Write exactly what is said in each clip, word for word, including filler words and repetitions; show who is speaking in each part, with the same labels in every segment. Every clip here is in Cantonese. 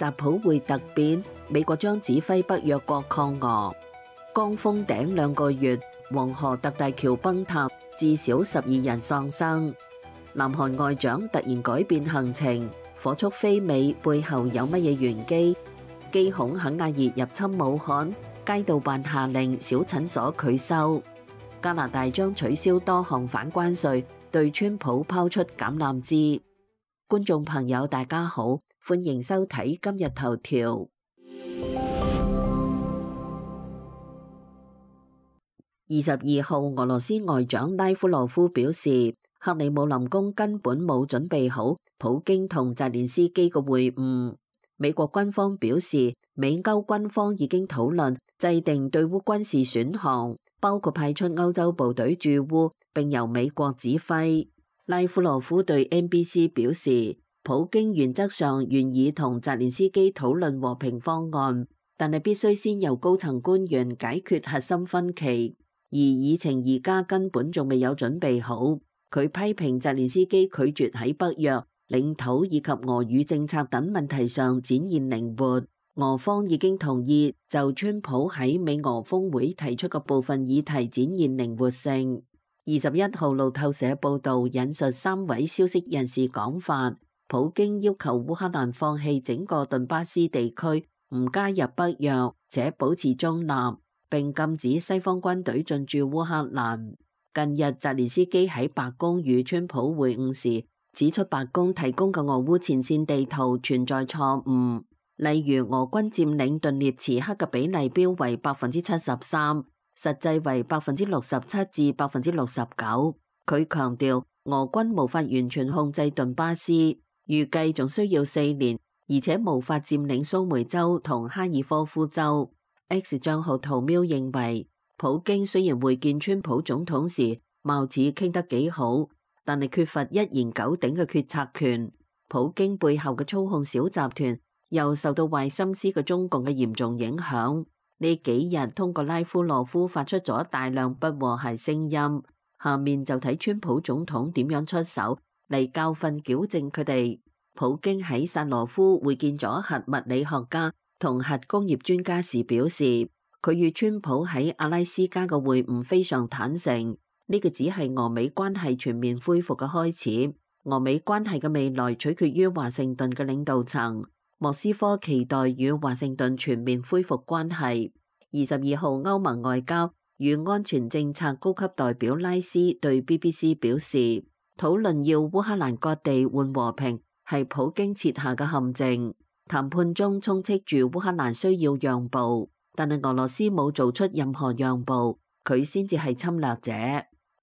Speaker 1: 習普會突變，美國將指揮北約國抗俄。剛封頂兩個月，黃河特大橋崩塌，至少十二人喪生。南韓外長突然改變行程，火速飛美，背後有乜嘢玄機？機恐肯亞熱入侵武漢，街道辦下令小診所拒收。加拿大將取消多項反關稅，對川普拋出橄欖枝。觀眾朋友大家好，歡迎收睇今日頭條。二十二號，俄羅斯外長拉夫羅夫表示，克里姆林宮根本冇準備好普京同澤連斯基嘅會晤。美國軍方表示，美歐軍方已經討論制定對烏軍事選項，包括派出歐洲部隊駐烏，並由美國指揮。拉夫羅夫對 N B C 表示，普京原則上願意同澤連斯基討論和平方案，但係必須先由高層官員解決核心分歧。而議程而家根本仲未有準備好，佢批評澤連斯基拒絕喺北約、領土以及俄語政策等問題上展現靈活。俄方已經同意就川普喺美俄峰會提出嘅部分議題展現靈活性。二十一號路透社報導引述三位消息人士講法，普京要求烏克蘭放棄整個頓巴斯地區，唔加入北約，且保持中立，並禁止西方軍隊進駐烏克蘭。近日，澤連斯基喺白宮與川普會晤時，指出白宮提供嘅俄烏前線地圖存在錯誤，例如俄軍佔領頓涅茨克嘅比例標為百分之七十三，實際為百分之六十七至百分之六十九。佢強調，俄軍無法完全控制頓巴斯，預計仲需要四年，而且無法佔領蘇梅州同哈爾科夫州。X 賬號圖喵認為，普京雖然會見川普總統時貌似傾得幾好，但係缺乏一言九鼎嘅決策權。普京背後嘅操控小集團又受到壞心思嘅中共嘅嚴重影響。呢幾日通過拉夫羅夫發出咗大量不和諧聲音，下面就睇川普總統點樣出手嚟教訓矯正佢哋。普京喺薩羅夫會見咗核物理學家同核工業專家時表示，佢與川普喺阿拉斯加嘅會晤非常坦誠，呢個只係俄美關係全面恢復嘅開始。俄美關係嘅未來取決於華盛頓嘅領導層，莫斯科期待與華盛頓全面恢復關係。二十二號，歐盟外交與安全政策高級代表拉斯對 B B C 表示，討論要烏克蘭割地換和平係普京設下嘅陷阱。談判中充斥住烏克蘭需要讓步，但係俄羅斯冇做出任何讓步，佢先至係侵略者。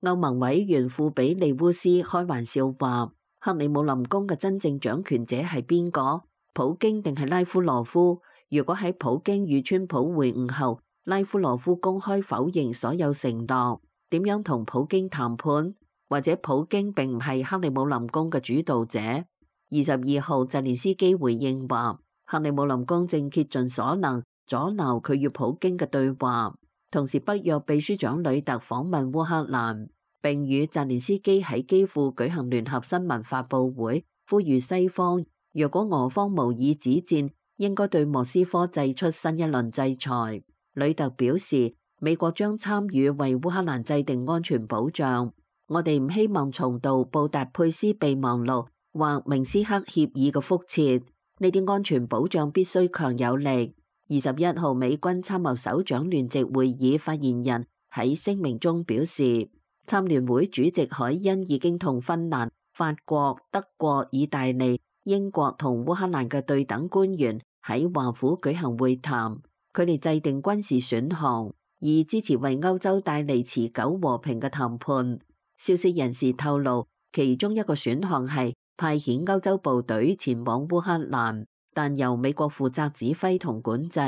Speaker 1: 歐盟委員庫比利烏斯開玩笑話，克里姆林宮嘅真正掌權者係邊個？普京定係拉夫羅夫？如果喺普京與川普會晤後，拉夫羅夫公開否認所有承諾，點樣同普京談判？或者普京並唔係克里姆林宮嘅主導者？二十二號，澤連斯基回應話，克里姆林宮正竭盡所能阻撓佢與普京嘅對話。同時，北約秘書長呂特訪問烏克蘭，並與澤連斯基喺基輔舉行聯合新聞發佈會，呼籲西方若果俄方無意止戰，應該對莫斯科祭出新一輪制裁。呂特表示，美國將參與為烏克蘭制定安全保障。我哋唔希望重蹈布達佩斯備忘錄或明斯克協議嘅覆轍，呢啲安全保障必須強有力。二十一號，美軍參謀首長聯席會議發言人喺聲明中表示，參聯會主席海恩已經同芬蘭、法國、德國、意大利、英國同烏克蘭嘅對等官員喺華府舉行會談，佢哋制定軍事選項，以支持為歐洲帶嚟持久和平嘅談判。消息人士透露，其中一個選項係派遣歐洲部隊前往烏克蘭，但由美國負責指揮同管制。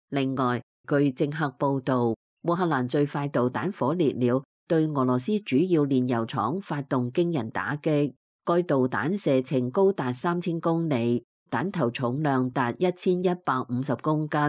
Speaker 1: 另外，據政客報導，烏克蘭最快導彈火烈鳥對俄羅斯主要煉油廠發動驚人打擊，該導彈射程高達三千公里，彈頭重量達一千一百五十公斤。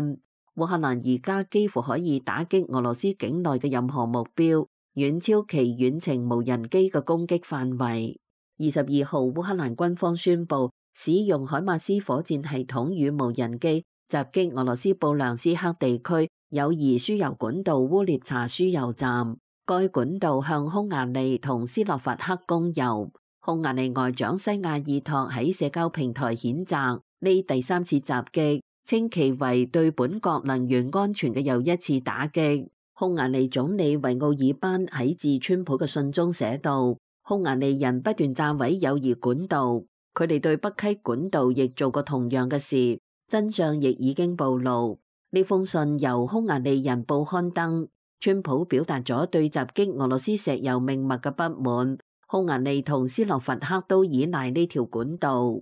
Speaker 1: 烏克蘭而家幾乎可以打擊俄羅斯境內嘅任何目標，遠超其遠程無人機嘅攻擊範圍。二十二號，烏克蘭軍方宣布使用海馬斯火箭系統與無人機襲擊俄羅斯布良斯克地區友誼輸油管道烏涅查輸油站，該管道向匈牙利同斯洛伐克供油。匈牙利外長西亞爾托喺社交平台譴責呢第三次襲擊，稱其為對本國能源安全嘅又一次打擊。匈牙利總理維奧爾班喺致川普嘅信中寫道：匈牙利人不斷炸毀友誼管道，佢哋對北溪管道亦做過同樣嘅事，真相亦已經暴露。呢封信由匈牙利人報刊登，川普表達咗對襲擊俄羅斯石油命脈嘅不滿。匈牙利同斯洛伐克都依賴呢條管道。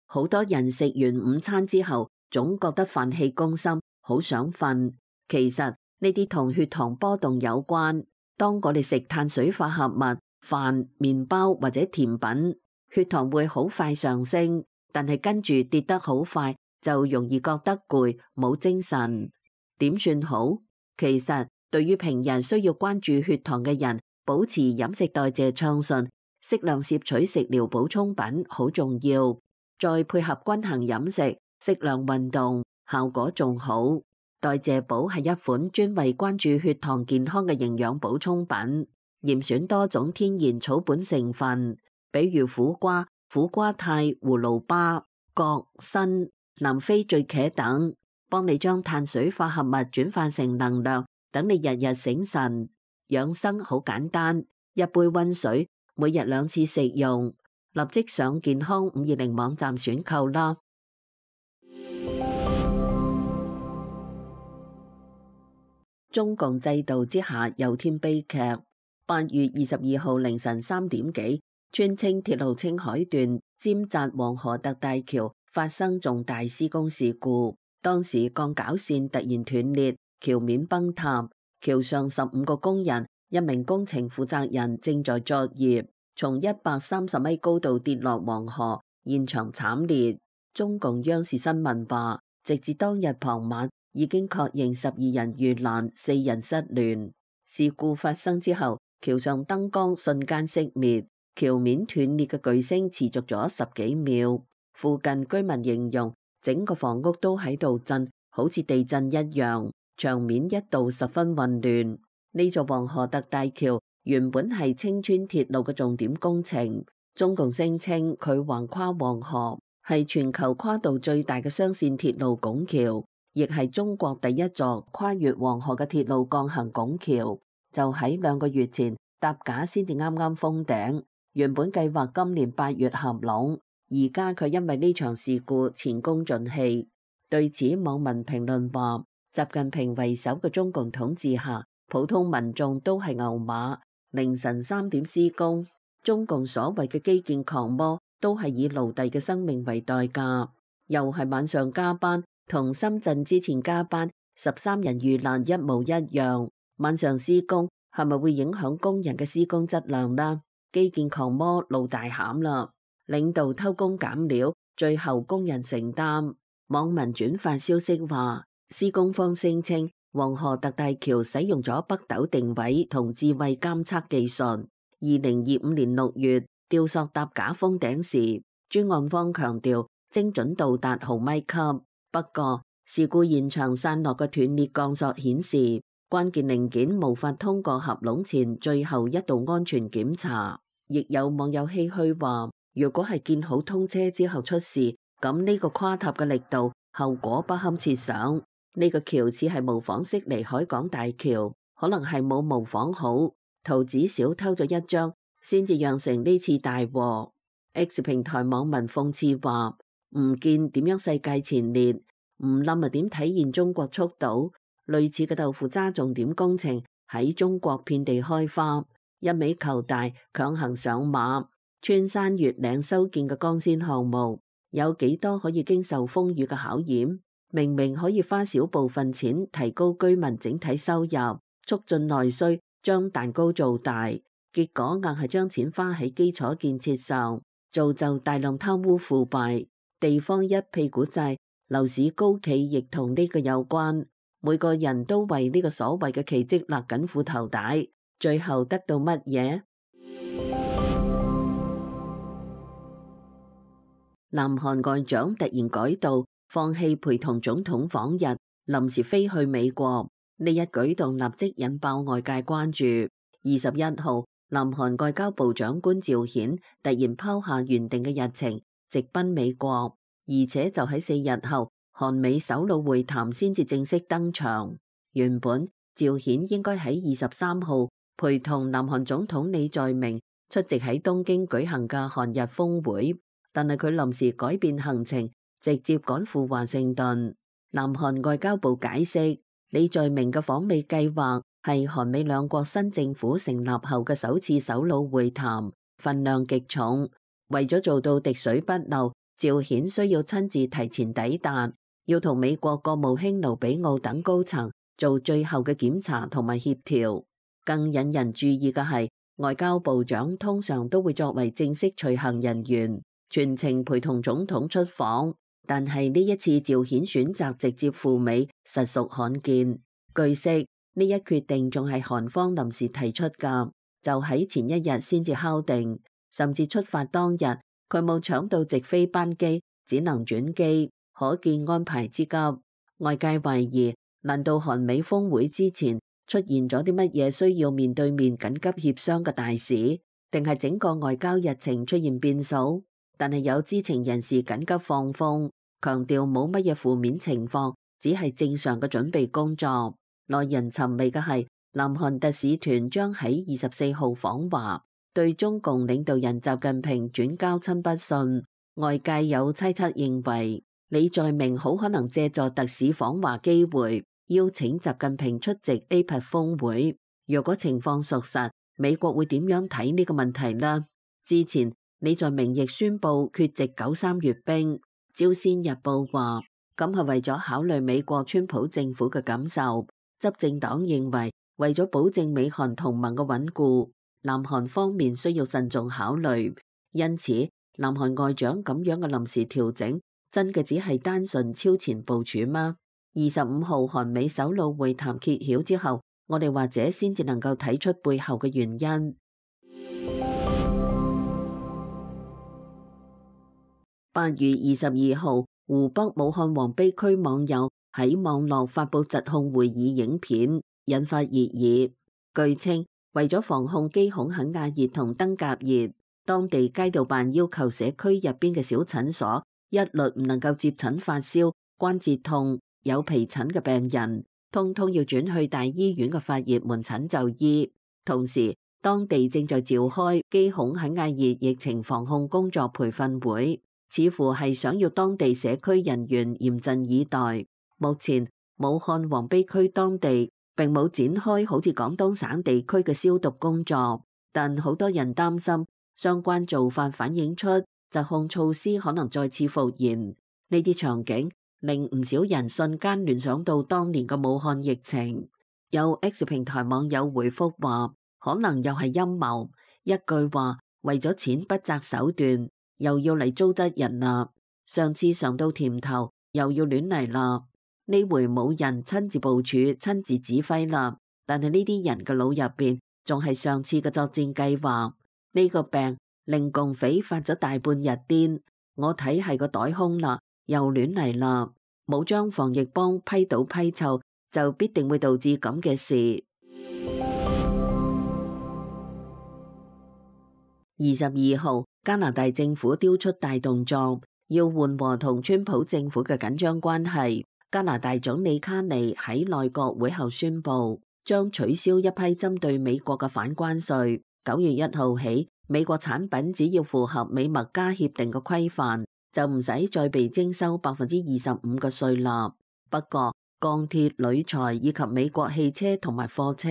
Speaker 1: 好多人食完午餐之後，總覺得飯氣攻心，好想瞓。其實呢啲同血糖波動有關。當我哋食碳水化合物、飯、麵包或者甜品，血糖會好快上升，但係跟住跌得好快，就容易覺得攰，冇精神。點算好？其實對於平日需要關注血糖嘅人，保持飲食代謝暢順，適量攝取食療補充品好重要，再配合均衡飲食、適量運動，效果仲好。代謝寶係一款專為關注血糖健康嘅營養補充品，嚴選多種天然草本成分，比如苦瓜、苦瓜肽、葫蘆巴、葛、參、南非醉茄等，幫你將碳水化合物轉化成能量，等你日日醒神。養生好簡單，一杯溫水，每日兩次食用。立即上健康五二零網站選購啦。中共制度之下又添悲劇。八月二十二號凌晨三點幾，川青鐵路青海段尖澤黃河特大橋發生重大施工事故，當時鋼絞線突然斷裂，橋面崩塌。橋上十五個工人，一名工程負責人正在作業，從一百三十米高度跌落黃河，現場慘烈。中共央視新聞話，直至當日傍晚，已經確認十二人遇難，四人失聯。事故發生之後，橋上燈光瞬間熄滅，橋面斷裂嘅巨聲持續咗十幾秒。附近居民形容整個房屋都喺度震，好似地震一樣。場面一度十分混亂。呢座黃河特大橋原本係青川鐵路嘅重點工程，中共聲稱佢橫跨黃河，係全球跨度最大嘅雙線鐵路拱橋，亦係中國第一座跨越黃河嘅鐵路鋼行拱橋。就喺兩個月前，搭架先至啱啱封頂，原本計劃今年八月合攏，而家佢因為呢場事故前功盡棄。對此，網民評論話，習近平為首嘅中共統治下，普通民眾都係牛馬。凌晨三點施工，中共所謂嘅基建狂魔都係以奴隸嘅生命為代價。又係晚上加班，同深圳之前加班十三人遇難一模一樣。晚上施工係咪會影響工人嘅施工質量呢？基建狂魔露大餡啦！領導偷工減料，最後工人承擔。網民轉發消息話，施工方聲稱黃河特大橋使用咗北斗定位同智慧監測技術。二零二五年六月吊索搭架封頂時，專案方強調精準度達毫米級。不過事故現場散落嘅斷裂鋼索顯示，關鍵零件無法通過合攏前最後一道安全檢查。亦有網友唏噓話，如果係建好通車之後出事，咁呢個垮塌嘅力度，後果不堪設想。呢個橋似係模仿悉尼海港大橋，可能係冇模仿好，圖紙少偷咗一張，先至釀成呢次大禍。X 平台網民諷刺話，唔見點樣世界前列，唔冧啊點體現中國速度？類似嘅豆腐渣重點工程喺中國遍地開花，一味求大，強行上馬。穿山越嶺修建嘅光纖項目，有幾多可以經受風雨嘅考驗？明明可以花少部分錢提高居民整體收入，促進內需，將蛋糕做大，結果硬係將錢花喺基礎建設上，造就大量貪污腐敗，地方一屁股債，樓市高企亦同呢個有關。每個人都為呢個所謂嘅奇蹟勒緊褲頭帶，最後得到乜嘢？南韓外長突然改道，放棄陪同總統訪日，臨時飛去美國。呢一舉動立即引爆外界關注。二十一號，南韓外交部長官趙顯突然拋下原定嘅日程，直奔美國，而且就喺四日後，韓美首腦會談先至正式登場。原本趙顯應該喺二十三號陪同南韓總統李在明出席喺東京舉行嘅韓日峰會，但係佢臨時改變行程，直接趕赴華盛頓。南韓外交部解釋，李在明嘅訪美計劃係韓美兩國新政府成立後嘅首次首腦會談，分量極重。為咗做到滴水不漏，趙顯需要親自提前抵達，要同美國國務卿盧比奧等高層做最後嘅檢查同埋協調。更引人注意嘅係，外交部長通常都會作為正式隨行人員，全程陪同總統出訪。但係呢一次趙顯選擇直接赴美，實屬罕見。據悉，呢一決定仲係韓方臨時提出㗎，就喺前一日先至敲定，甚至出發當日佢冇搶到直飛班機，只能轉機，可見安排之急。外界懷疑，難道韓美峰會之前出現咗啲乜嘢需要面對面緊急協商嘅大事，定係整個外交日程出現變數？但係有知情人士緊急放風，強調冇乜嘢負面情況，只係正常嘅準備工作。耐人尋味嘅係，南韓特使團將喺二十四號訪華，對中共領導人習近平轉交親筆信。外界有猜測認為，李在明好可能借助特使訪華機會，邀請習近平出席 A P E C 峰會。若果情況屬實，美國會點樣睇呢個問題呢？之前李在明亦宣布缺席九三閱兵。朝鮮日報話，咁係為咗考慮美國川普政府嘅感受。執政黨認為，為咗保證美韓同盟嘅穩固，南韓方面需要慎重考慮。因此，南韓外長咁樣嘅臨時調整，真嘅只係單純超前部署嗎？二十五號韓美首腦會談揭曉之後，我哋或者先至能夠睇出背後嘅原因。八月二十二號，湖北武漢黃陂區網友喺網絡發佈疾控會議影片，引發熱議。據稱，為咗防控肌孔肯亞熱同登革熱，當地街道辦要求社區入邊嘅小診所一律唔能夠接診發燒、關節痛、有皮疹嘅病人，通通要轉去大醫院嘅發熱門診就醫。同時，當地正在召開肌孔肯亞熱疫情防控工作培訓會，似乎係想要當地社區人員嚴陣以待。目前，武漢黃陂區當地並冇展開好似廣東省地區嘅消毒工作，但好多人擔心相關做法反映出疾控措施可能再次復燃。呢啲場景令唔少人瞬間聯想到當年嘅武漢疫情。有 X 平台網友回覆話，可能又係陰謀，一句話，為咗錢不擇手段，又要嚟糟質人啦。上次嘗到甜頭，又要亂嚟啦。呢回冇人親自部署、親自指揮啦，但係呢啲人嘅腦入邊仲係上次嘅作戰計劃。呢個病令共匪發咗大半日癲，我睇係個袋空啦，又亂嚟啦。冇將防疫幫批倒批臭，就必定會導致咁嘅事。二十二號，加拿大政府丟出大動作，要緩和同川普政府嘅緊張關係。加拿大總理卡尼喺內閣會後宣布，將取消一批針對美國嘅反關稅。九月一號起，美國產品只要符合美墨加協定嘅規範，就唔使再被徵收百分之二十五嘅稅率。不過，鋼鐵、鋁材以及美國汽車同埋貨車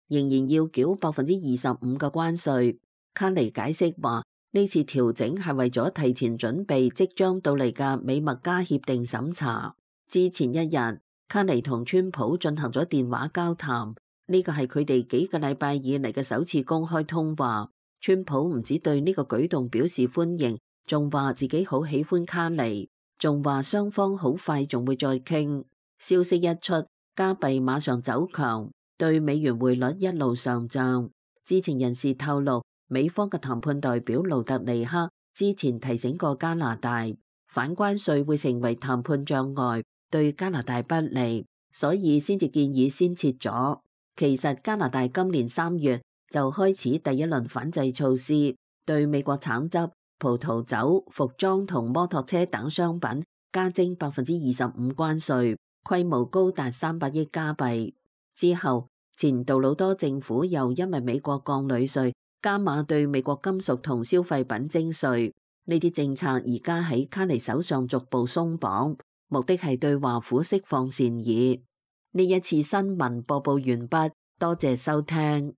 Speaker 1: 仍然要繳百分之二十五嘅關稅。卡尼解釋話，呢次調整係為咗提前準備即將到嚟嘅美墨加協定審查。之前一日，卡尼同川普進行咗電話交談，呢個係佢哋幾個禮拜以嚟嘅首次公開通話。川普唔止對呢個舉動表示歡迎，仲話自己好喜歡卡尼，仲話雙方好快仲會再傾。消息一出，加幣馬上走強，對美元匯率一路上漲。知情人士透露，美方嘅談判代表盧特尼克之前提醒過加拿大，反關稅會成為談判障礙，對加拿大不利，所以先至建議先撤咗。其實加拿大今年三月就開始第一輪反制措施，對美國橙汁、葡萄酒、服裝同摩托車等商品加徵百分之二十五關稅，規模高達三百億加幣。之後，前杜魯多政府又因為美國降旅稅，加碼對美國金屬同消費品徵稅。呢啲政策而家喺卡尼手上逐步鬆綁，目的係對華府釋放善意。呢一次新聞播報完畢，多謝收聽。